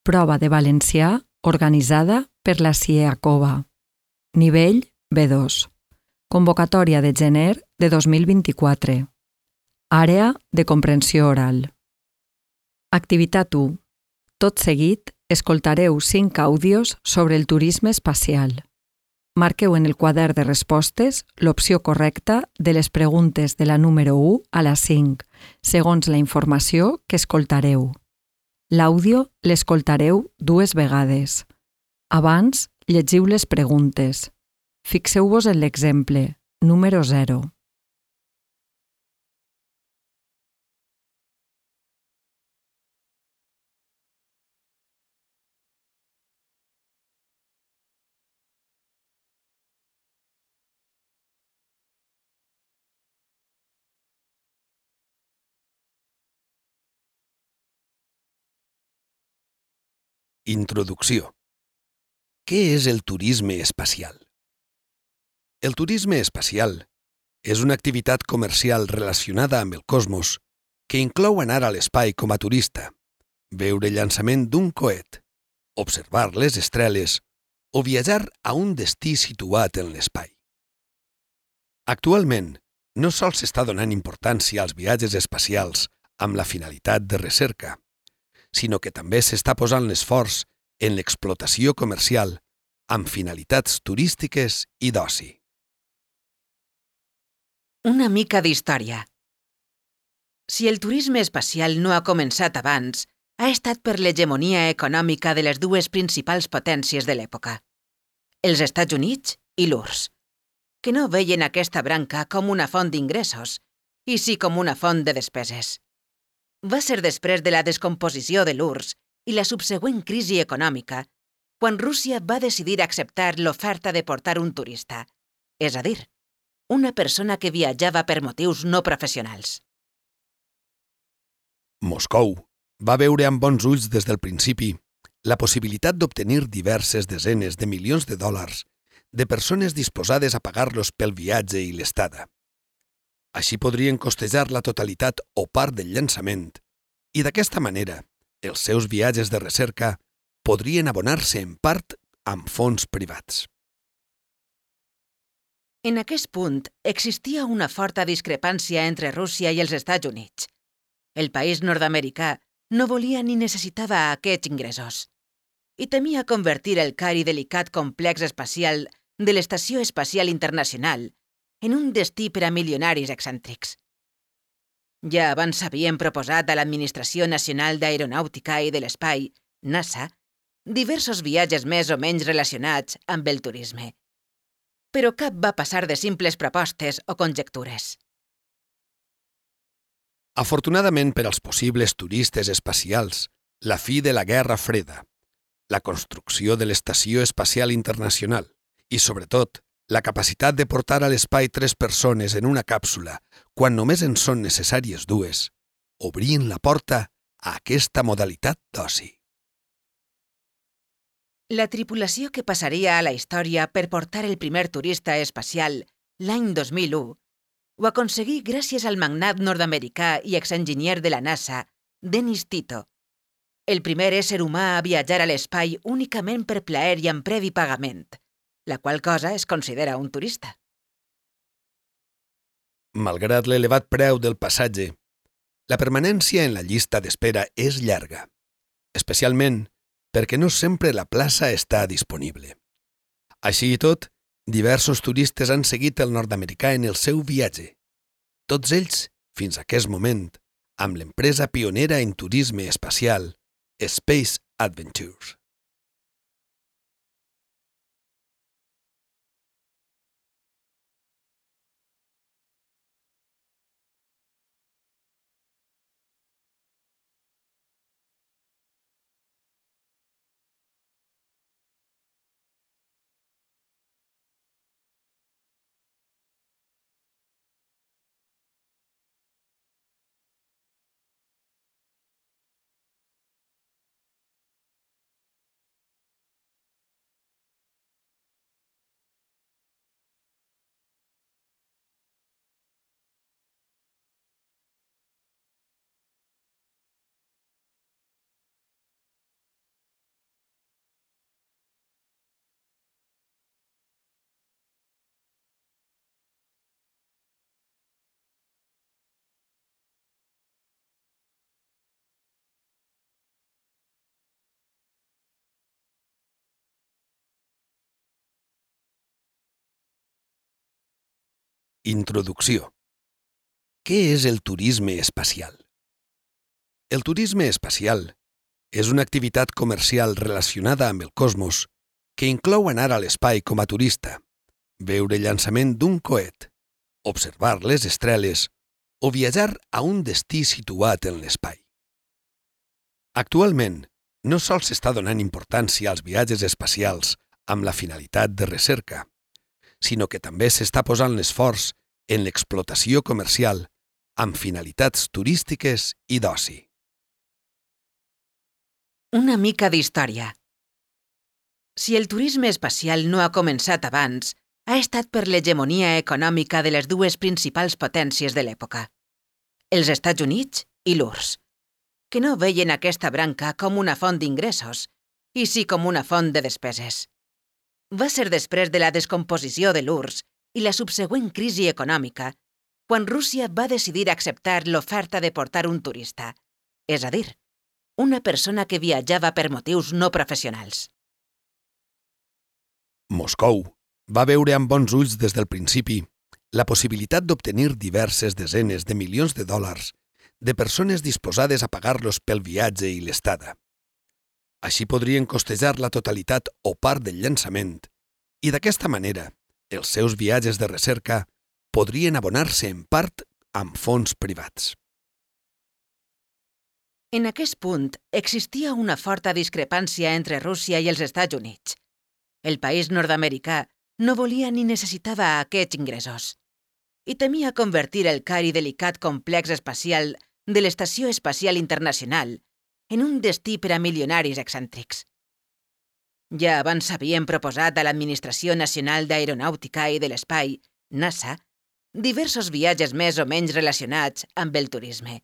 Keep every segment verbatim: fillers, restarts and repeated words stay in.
Prova de valencià organitzada per la CIEACOVA. Nivell B dos. Convocatòria de gener de dos mil vint-i-quatre. Àrea de comprensió oral. Activitat u. Tot seguit, escoltareu cinc àudios sobre el turisme espacial. Marqueu en el quadern de respostes l'opció correcta de les preguntes de la número u a la cinc, segons la informació que escoltareu. L'àudio l'escoltareu dues vegades. Abans, llegiu les preguntes. Fixeu-vos en l'exemple, número zero. Introducció. Què és el turisme espacial? El turisme espacial és una activitat comercial relacionada amb el cosmos que inclou anar a l'espai com a turista, veure el llançament d'un coet, observar les estreles o viatjar a un destí situat en l'espai. Actualment, no sols s'està donant importància als viatges espacials amb la finalitat de recerca, sinó que també s'està posant l'esforç en l'explotació comercial amb finalitats turístiques i d'oci. Una mica d'història. Si el turisme espacial no ha començat abans, ha estat per l'hegemonia econòmica de les dues principals potències de l'època, els Estats Units i l'U R S S, que no veien aquesta branca com una font d'ingressos, i sí com una font de despeses. Va ser després de la descomposició de l'U R S S i la subsegüent crisi econòmica quan Rússia va decidir acceptar l'oferta de portar un turista, és a dir, una persona que viatjava per motius no professionals. Moscou va veure amb bons ulls des del principi la possibilitat d'obtenir diverses desenes de milions de dòlars de persones disposades a pagar-los pel viatge i l'estada. Així podrien costejar la totalitat o part del llançament i d'aquesta manera els seus viatges de recerca podrien abonar-se en part amb fons privats. En aquest punt existia una forta discrepància entre Rússia i els Estats Units. El país nord-americà no volia ni necessitava aquests ingressos i temia convertir el car i delicat complex espacial de l'Estació Espacial Internacional en un destí per a milionaris excèntrics. Ja abans s'havien proposat a l'Administració Nacional d'Aeronàutica i de l'Espai, NASA, diversos viatges més o menys relacionats amb el turisme. Però cap va passar de simples propostes o conjectures. Afortunadament per als possibles turistes espacials, la fi de la Guerra Freda, la construcció de l'Estació Espacial Internacional i, sobretot, la capacitat de portar a l'espai tres persones en una càpsula quan només en són necessàries dues, obrien la porta a aquesta modalitat d'oci. La tripulació que passaria a la història per portar el primer turista espacial l'any dos mil u ho aconseguí gràcies al magnat nord-americà i exenginyer de la NASA, Dennis Tito, el primer ésser humà a viatjar a l'espai únicament per plaer i amb previ pagament, la qual cosa es considera un turista. Malgrat l'elevat preu del passatge, la permanència en la llista d'espera és llarga, especialment perquè no sempre la plaça està disponible. Així i tot, diversos turistes han seguit el nord-americà en el seu viatge, tots ells, fins a aquest moment, amb l'empresa pionera en turisme espacial, Space Adventures. Introducció. Què és el turisme espacial? El turisme espacial és una activitat comercial relacionada amb el cosmos que inclou anar a l'espai com a turista, veure el llançament d'un coet, observar les estreles o viatjar a un destí situat en l'espai. Actualment, no sols s'està donant importància als viatges espacials amb la finalitat de recerca, sinó que també s'està posant l'esforç en l'explotació comercial amb finalitats turístiques i d'oci. Una mica d'història. Si el turisme espacial no ha començat abans, ha estat per l'hegemonia econòmica de les dues principals potències de l'època, els Estats Units i l'U R S S, que no veien aquesta branca com una font d'ingressos, i sí com una font de despeses. Va ser després de la descomposició de l'U R S S i la subsegüent crisi econòmica quan Rússia va decidir acceptar l'oferta de portar un turista, és a dir, una persona que viatjava per motius no professionals. Moscou va veure amb bons ulls des del principi la possibilitat d'obtenir diverses desenes de milions de dòlars de persones disposades a pagar-los pel viatge i l'estada. Així podrien costejar la totalitat o part del llançament i d'aquesta manera els seus viatges de recerca podrien abonar-se en part amb fons privats. En aquest punt existia una forta discrepància entre Rússia i els Estats Units. El país nord-americà no volia ni necessitava aquests ingressos i temia convertir el car i delicat complex espacial de l'Estació Espacial Internacional en un destí per a milionaris excèntrics. Ja abans s'havien proposat a l'Administració Nacional d'Aeronàutica i de l'Espai, NASA, diversos viatges més o menys relacionats amb el turisme.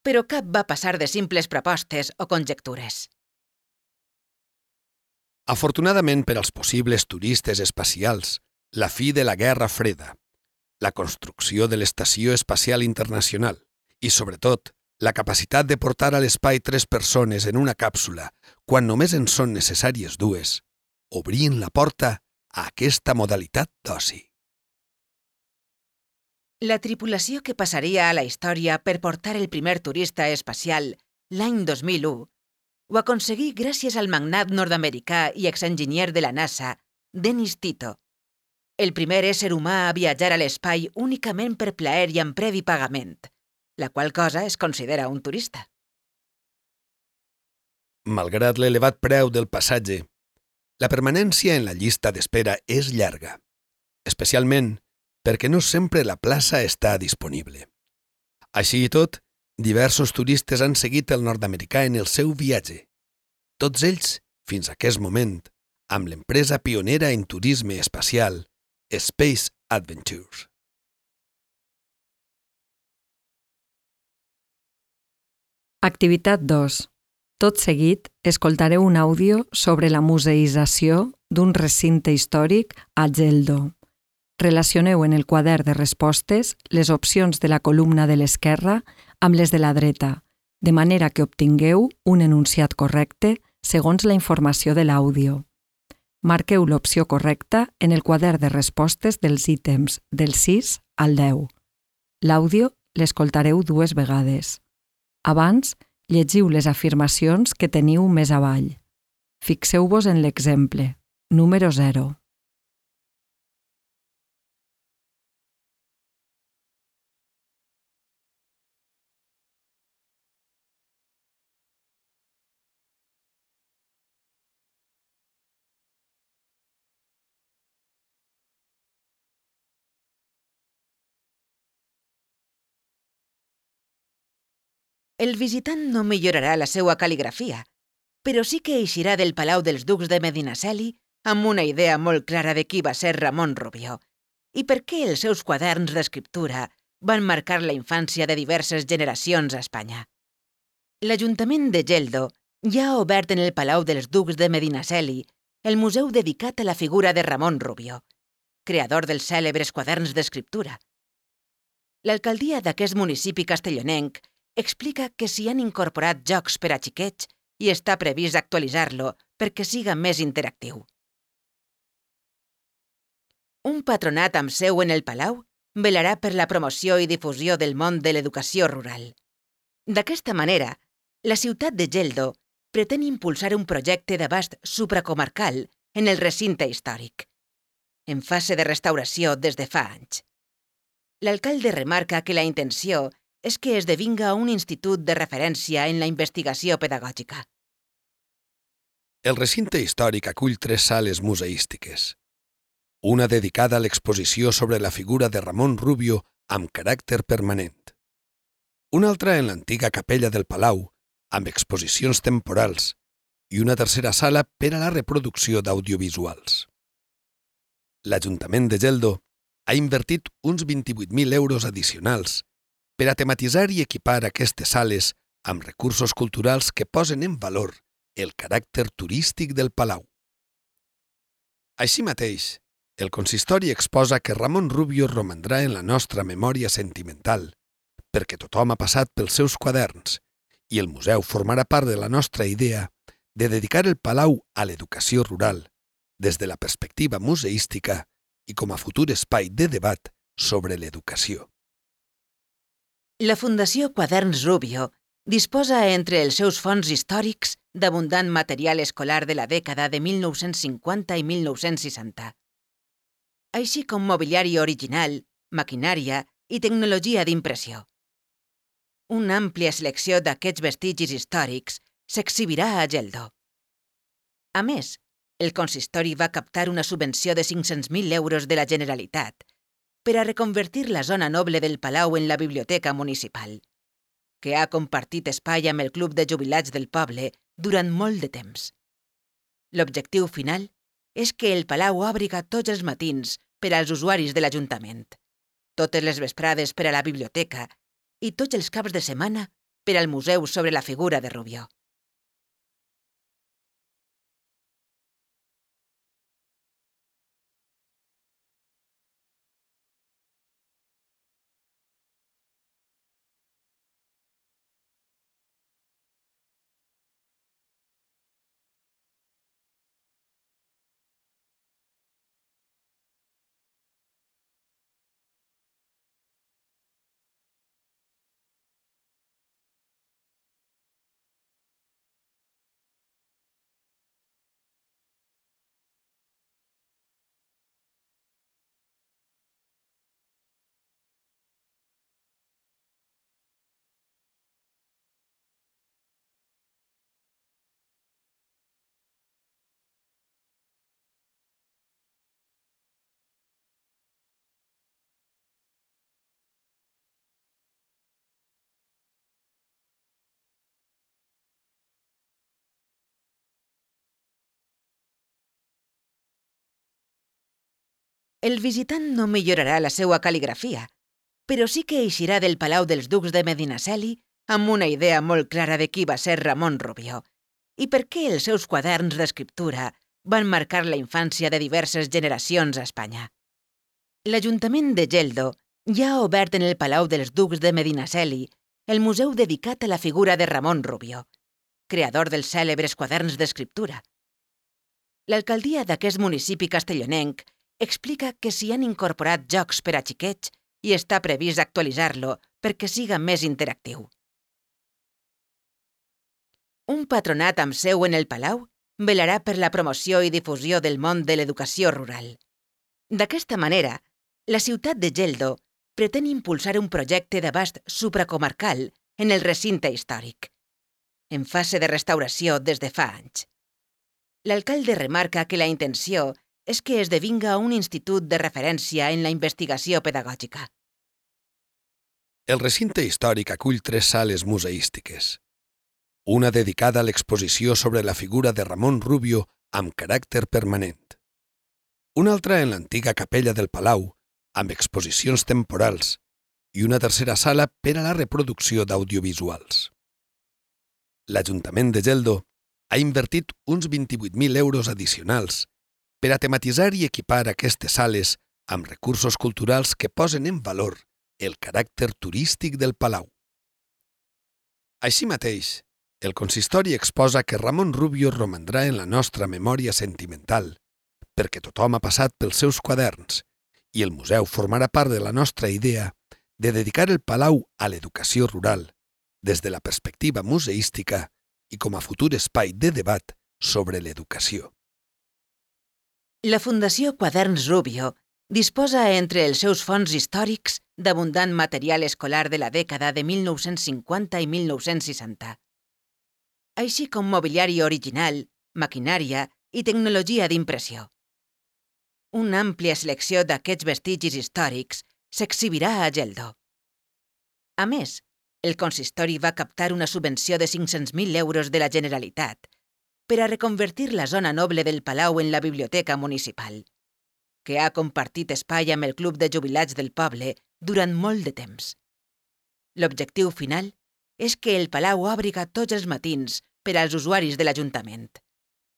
Però cap va passar de simples propostes o conjectures. Afortunadament per als possibles turistes espacials, la fi de la Guerra Freda, la construcció de l'Estació Espacial Internacional i, sobretot, la capacitat de portar a l'espai tres persones en una càpsula quan només en són necessàries dues, obrien la porta a aquesta modalitat d'oci. La tripulació que passaria a la història per portar el primer turista espacial l'any dos mil u ho aconseguí gràcies al magnat nord-americà i exenginyer de la NASA, Dennis Tito, el primer ésser humà a viatjar a l'espai únicament per plaer i amb previ pagament, la qual cosa es considera un turista. Malgrat l'elevat preu del passatge, la permanència en la llista d'espera és llarga, especialment perquè no sempre la plaça està disponible. Així i tot, diversos turistes han seguit el nord-americà en el seu viatge, tots ells, fins a aquest moment, amb l'empresa pionera en turisme espacial, Space Adventures. Activitat dos. Tot seguit, escoltareu un àudio sobre la museïtzació d'un recinte històric a Geldo. Relacioneu en el quadern de respostes les opcions de la columna de l'esquerra amb les de la dreta, de manera que obtingueu un enunciat correcte segons la informació de l'àudio. Marqueu l'opció correcta en el quadern de respostes dels ítems del sis al deu. L'àudio l'escoltareu dues vegades. Abans, llegiu les afirmacions que teniu més avall. Fixeu-vos en l'exemple, número zero. El visitant no millorarà la seva cal·ligrafia, però sí que eixirà del Palau dels Ducs de Medinaceli amb una idea molt clara de qui va ser Ramon Rubió i per què els seus quaderns d'escriptura van marcar la infància de diverses generacions a Espanya. L'Ajuntament de Geldo ja ha obert en el Palau dels Ducs de Medinaceli el museu dedicat a la figura de Ramon Rubió, creador dels cèlebres quaderns d'escriptura. L'alcaldia d'aquest municipi castellonenc explica que s'hi han incorporat jocs per a xiquets i està previst actualitzar-lo perquè siga més interactiu. Un patronat amb seu en el Palau velarà per la promoció i difusió del món de l'educació rural. D'aquesta manera, la ciutat de Geldo pretén impulsar un projecte d'abast supracomarcal en el recinte històric, en fase de restauració des de fa anys. L'alcalde remarca que la intenció és que esdevinga un institut de referència en la investigació pedagògica. El recinte històric acull tres sales museístiques. Una dedicada a l'exposició sobre la figura de Ramon Rubio amb caràcter permanent. Una altra en l'antiga capella del Palau, amb exposicions temporals, i una tercera sala per a la reproducció d'audiovisuals. L'Ajuntament de Geldo ha invertit uns vint-i-vuit mil euros addicionals per a tematitzar i equipar aquestes sales amb recursos culturals que posen en valor el caràcter turístic del Palau. Així mateix, el consistori exposa que Ramon Rubio romandrà en la nostra memòria sentimental, perquè tothom ha passat pels seus quaderns, i el museu formarà part de la nostra idea de dedicar el Palau a l'educació rural, des de la perspectiva museística i com a futur espai de debat sobre l'educació. La Fundació Quaderns Rubio disposa entre els seus fons històrics d'abundant material escolar de la dècada de mil nou-cents cinquanta i mil nou-cents seixanta, així com mobiliari original, maquinària i tecnologia d'impressió. Una àmplia selecció d'aquests vestigis històrics s'exhibirà a Geldo. A més, el consistori va captar una subvenció de cinc-cents mil euros de la Generalitat per a reconvertir la zona noble del Palau en la biblioteca municipal, que ha compartit espai amb el Club de Jubilats del poble durant molt de temps. L'objectiu final és que el Palau òbriga tots els matins per als usuaris de l'Ajuntament, totes les vesprades per a la biblioteca i tots els caps de setmana per al museu sobre la figura de Rubio. El visitant no millorarà la seva cal·ligrafia, però sí que eixirà del Palau dels Ducs de Medinaceli amb una idea molt clara de qui va ser Ramon Rubio i per què els seus quaderns d'escriptura van marcar la infància de diverses generacions a Espanya. L'Ajuntament de Geldo ja ha obert en el Palau dels Ducs de Medinaceli el museu dedicat a la figura de Ramon Rubio, creador dels cèlebres quaderns d'escriptura. L'alcaldia d'aquest municipi castellonenc explica que s'hi han incorporat jocs per a xiquets i està previst actualitzar-lo perquè siga més interactiu. Un patronat amb seu en el Palau velarà per la promoció i difusió del món de l'educació rural. D'aquesta manera, la ciutat de Geldo pretén impulsar un projecte d'abast supracomarcal en el recinte històric, en fase de restauració des de fa anys. L'alcalde remarca que la intenció és que esdevinga un institut de referència en la investigació pedagògica. El recinte històric acull tres sales museístiques. Una dedicada a l'exposició sobre la figura de Ramon Rubio amb caràcter permanent. Una altra en l'antiga capella del Palau, amb exposicions temporals, i una tercera sala per a la reproducció d'audiovisuals. L'Ajuntament de Geldo ha invertit uns vint-i-vuit mil euros addicionals per a tematitzar i equipar aquestes sales amb recursos culturals que posen en valor el caràcter turístic del Palau. Així mateix, el consistori exposa que Ramon Rubio romandrà en la nostra memòria sentimental, perquè tothom ha passat pels seus quaderns, i el museu formarà part de la nostra idea de dedicar el Palau a l'educació rural des de la perspectiva museística i com a futur espai de debat sobre l'educació. La Fundació Quaderns Rubio disposa entre els seus fons històrics d'abundant material escolar de la dècada de mil nou-cents cinquanta i mil nou-cents seixanta, així com mobiliari original, maquinària i tecnologia d'impressió. Una àmplia selecció d'aquests vestigis històrics s'exhibirà a Geldo. A més, el consistori va captar una subvenció de cinc-cents mil euros de la Generalitat per a reconvertir la zona noble del Palau en la biblioteca municipal, que ha compartit espai amb el Club de Jubilats del poble durant molt de temps. L'objectiu final és que el Palau òbriga tots els matins per als usuaris de l'Ajuntament,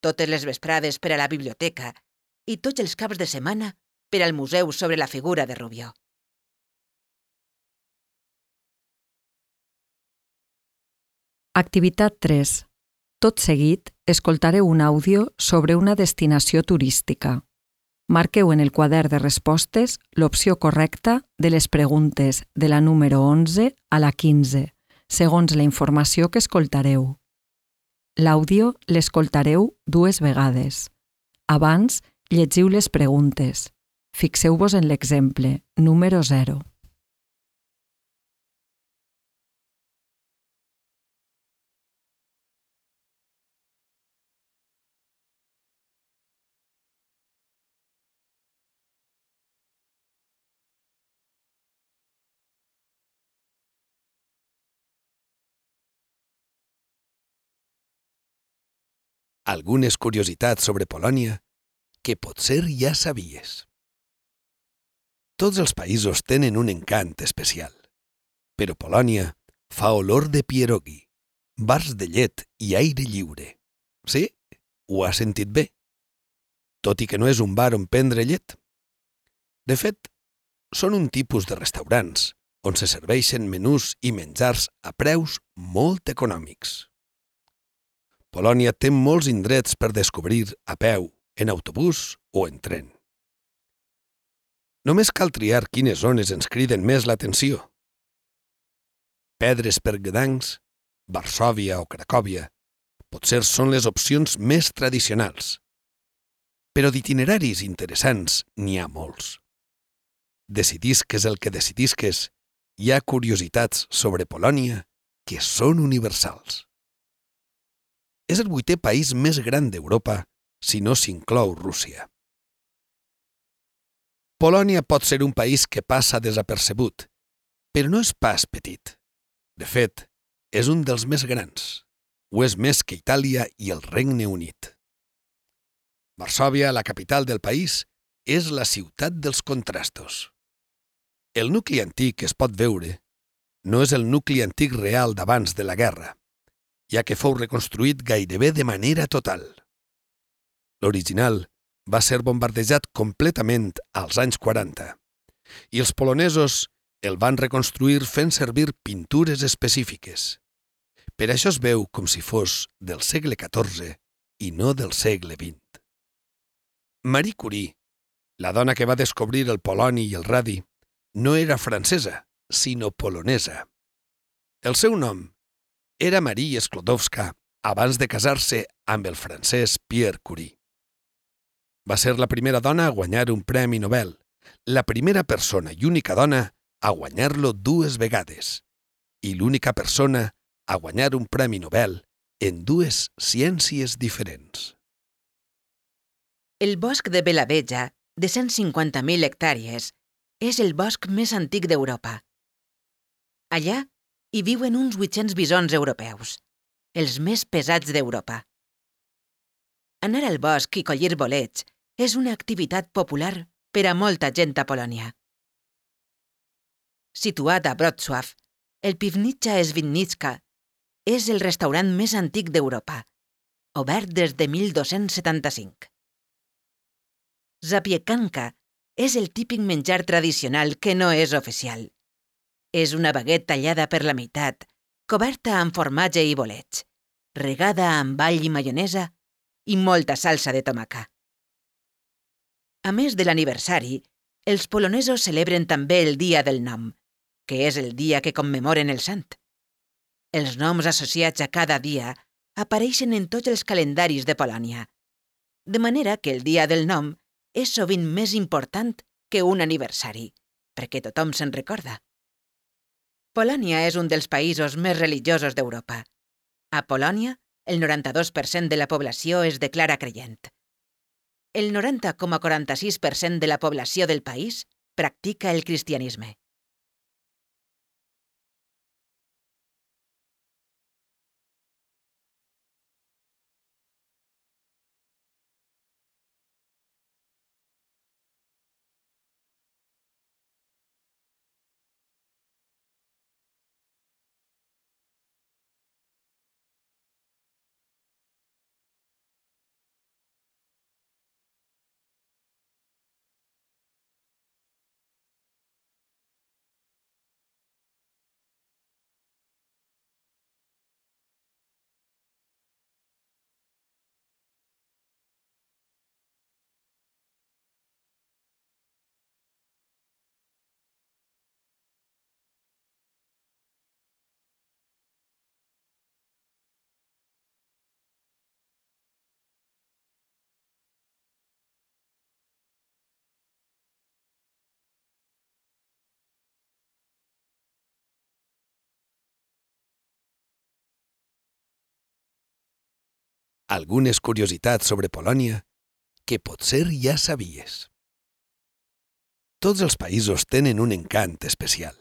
totes les vesprades per a la biblioteca i tots els caps de setmana per al museu sobre la figura de Rubió. Activitat tres. Tot seguit, escoltareu un àudio sobre una destinació turística. Marqueu en el quadern de respostes l'opció correcta de les preguntes de la número onze a la quinze, segons la informació que escoltareu. L'àudio l'escoltareu dues vegades. Abans, llegiu les preguntes. Fixeu-vos en l'exemple, número zero. Algunes curiositats sobre Polònia que potser ja sabies. Tots els països tenen un encant especial, però Polònia fa olor de pierogi, bars de llet i aire lliure. Sí? Ho has sentit bé? Tot i que no és un bar on prendre llet. De fet, són un tipus de restaurants on se serveixen menús i menjars a preus molt econòmics. Polònia té molts indrets per descobrir a peu, en autobús o en tren. Només cal triar quines zones ens criden més l'atenció. Pedres per Gdansk, Varsòvia o Cracòvia potser són les opcions més tradicionals, però d'itineraris interessants n'hi ha molts. Decidisques el que decidisques, hi ha curiositats sobre Polònia que són universals. És el vuitè país més gran d'Europa, si no s'inclou Rússia. Polònia pot ser un país que passa desapercebut, però no és pas petit. De fet, és un dels més grans. Ho és més que Itàlia i el Regne Unit. Varsòvia, la capital del país, és la ciutat dels contrastos. El nucli antic que es pot veure no és el nucli antic real d'abans de la guerra, ja que fou reconstruït gairebé de manera total. L'original va ser bombardejat completament als anys quaranta, i els polonesos el van reconstruir fent servir pintures específiques. Per això es veu com si fos del segle catorze i no del segle vint. Marie Curie, la dona que va descobrir el poloni i el radi, no era francesa, sinó polonesa. El seu nom era Marie Sklodowska abans de casar-se amb el francès Pierre Curie. Va ser la primera dona a guanyar un premi Nobel, la primera persona i única dona a guanyar-lo dues vegades i l'única persona a guanyar un premi Nobel en dues ciències diferents. El bosc de Belaveja, de cent cinquanta mil hectàrees, és el bosc més antic d'Europa. Allà hi viuen uns vuit-cents bisons europeus, els més pesats d'Europa. Anar al bosc i collir bolets és una activitat popular per a molta gent a Polònia. Situat a Wrocław, el Piwnica Świdnicka és el restaurant més antic d'Europa, obert des de mil dos-cents setanta-cinc. Zapiekanka és el típic menjar tradicional que no és oficial. És una baguet tallada per la meitat, coberta amb formatge i bolets, regada amb all i maionesa i molta salsa de tomaca. A més de l'aniversari, els polonesos celebren també el Dia del Nom, que és el dia que commemoren el sant. Els noms associats a cada dia apareixen en tots els calendaris de Polònia, de manera que el Dia del Nom és sovint més important que un aniversari, perquè tothom se'n recorda. Polònia és un dels països més religiosos d'Europa. A Polònia, el noranta-dos per cent de la població es declara creient. El noranta coma quaranta-sis per cent de la població del país practica el cristianisme. Algunes curiositats sobre Polònia que potser ja sabies. Tots els països tenen un encant especial,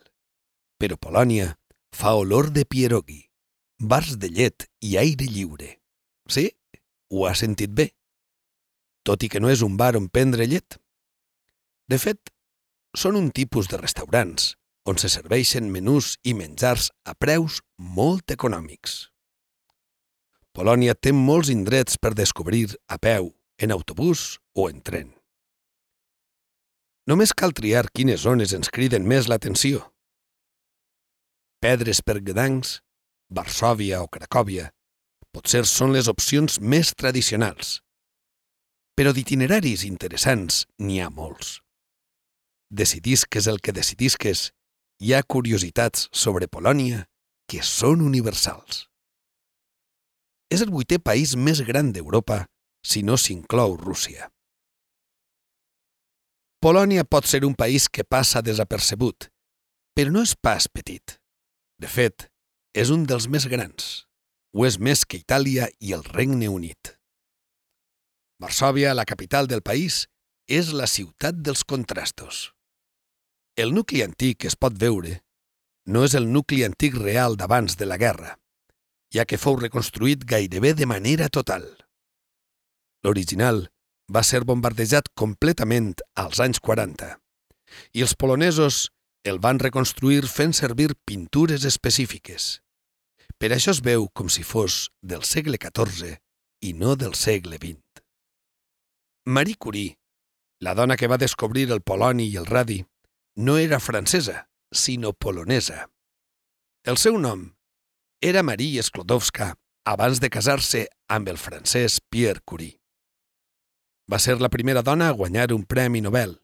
però Polònia fa olor de pierogi, bars de llet i aire lliure. Sí? Ho has sentit bé. Tot i que no és un bar on prendre llet. De fet, són un tipus de restaurants on se serveixen menús i menjars a preus molt econòmics. Polònia té molts indrets per descobrir a peu, en autobús o en tren. Només cal triar quines zones ens criden més l'atenció. Pedres per Gdansk, Varsòvia o Cracòvia potser són les opcions més tradicionals, però d'itineraris interessants n'hi ha molts. Decidisques el que decidisques, hi ha curiositats sobre Polònia que són universals. És el vuitè país més gran d'Europa, si no s'inclou Rússia. Polònia pot ser un país que passa desapercebut, però no és pas petit. De fet, és un dels més grans. Ho és més que Itàlia i el Regne Unit. Varsòvia, la capital del país, és la ciutat dels contrastos. El nucli antic es pot veure. No és el nucli antic real d'abans de la guerra, ja que fou reconstruït gairebé de manera total. L'original va ser bombardejat completament als anys quaranta, i els polonesos el van reconstruir fent servir pintures específiques. Per això es veu com si fos del segle catorze i no del segle vint. Marie Curie, la dona que va descobrir el poloni i el radi, no era francesa, sinó polonesa. El seu nom era Marie Sklodowska abans de casar-se amb el francès Pierre Curie. Va ser la primera dona a guanyar un premi Nobel,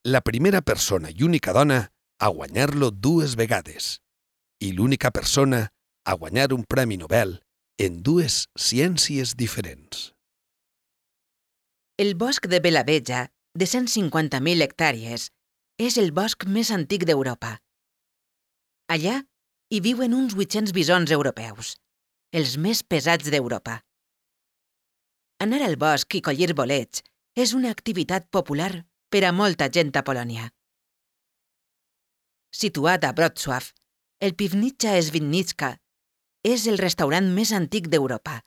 la primera persona i única dona a guanyar-lo dues vegades i l'única persona a guanyar un premi Nobel en dues ciències diferents. El bosc de Belaveja, de cent cinquanta mil hectàrees, és el bosc més antic d'Europa. Allà hi viuen uns vuit-cents bisons europeus, els més pesats d'Europa. Anar al bosc i collir bolets és una activitat popular per a molta gent a Polònia. Situat a Wrocław, el Piwnica Świdnicka és el restaurant més antic d'Europa,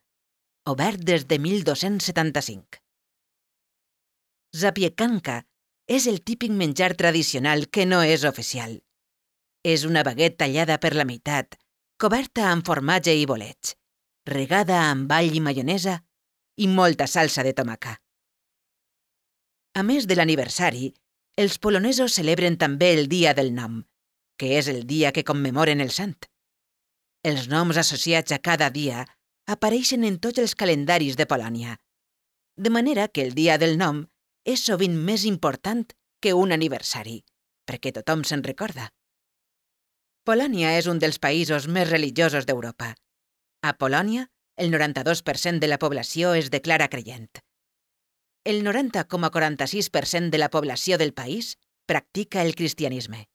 obert des de mil dos-cents setanta-cinc. Zapiekanka és el típic menjar tradicional que no és oficial. És una baguette tallada per la meitat, coberta amb formatge i bolets, regada amb all i maionesa i molta salsa de tomaca. A més de l'aniversari, els polonesos celebren també el Dia del Nom, que és el dia que commemoren el sant. Els noms associats a cada dia apareixen en tots els calendaris de Polònia, de manera que el Dia del Nom és sovint més important que un aniversari, perquè tothom se'n recorda. Polònia és un dels països més religiosos d'Europa. A Polònia, el noranta-dos per cent de la població es declara creient. El noranta coma quaranta-sis per cent de la població del país practica el cristianisme.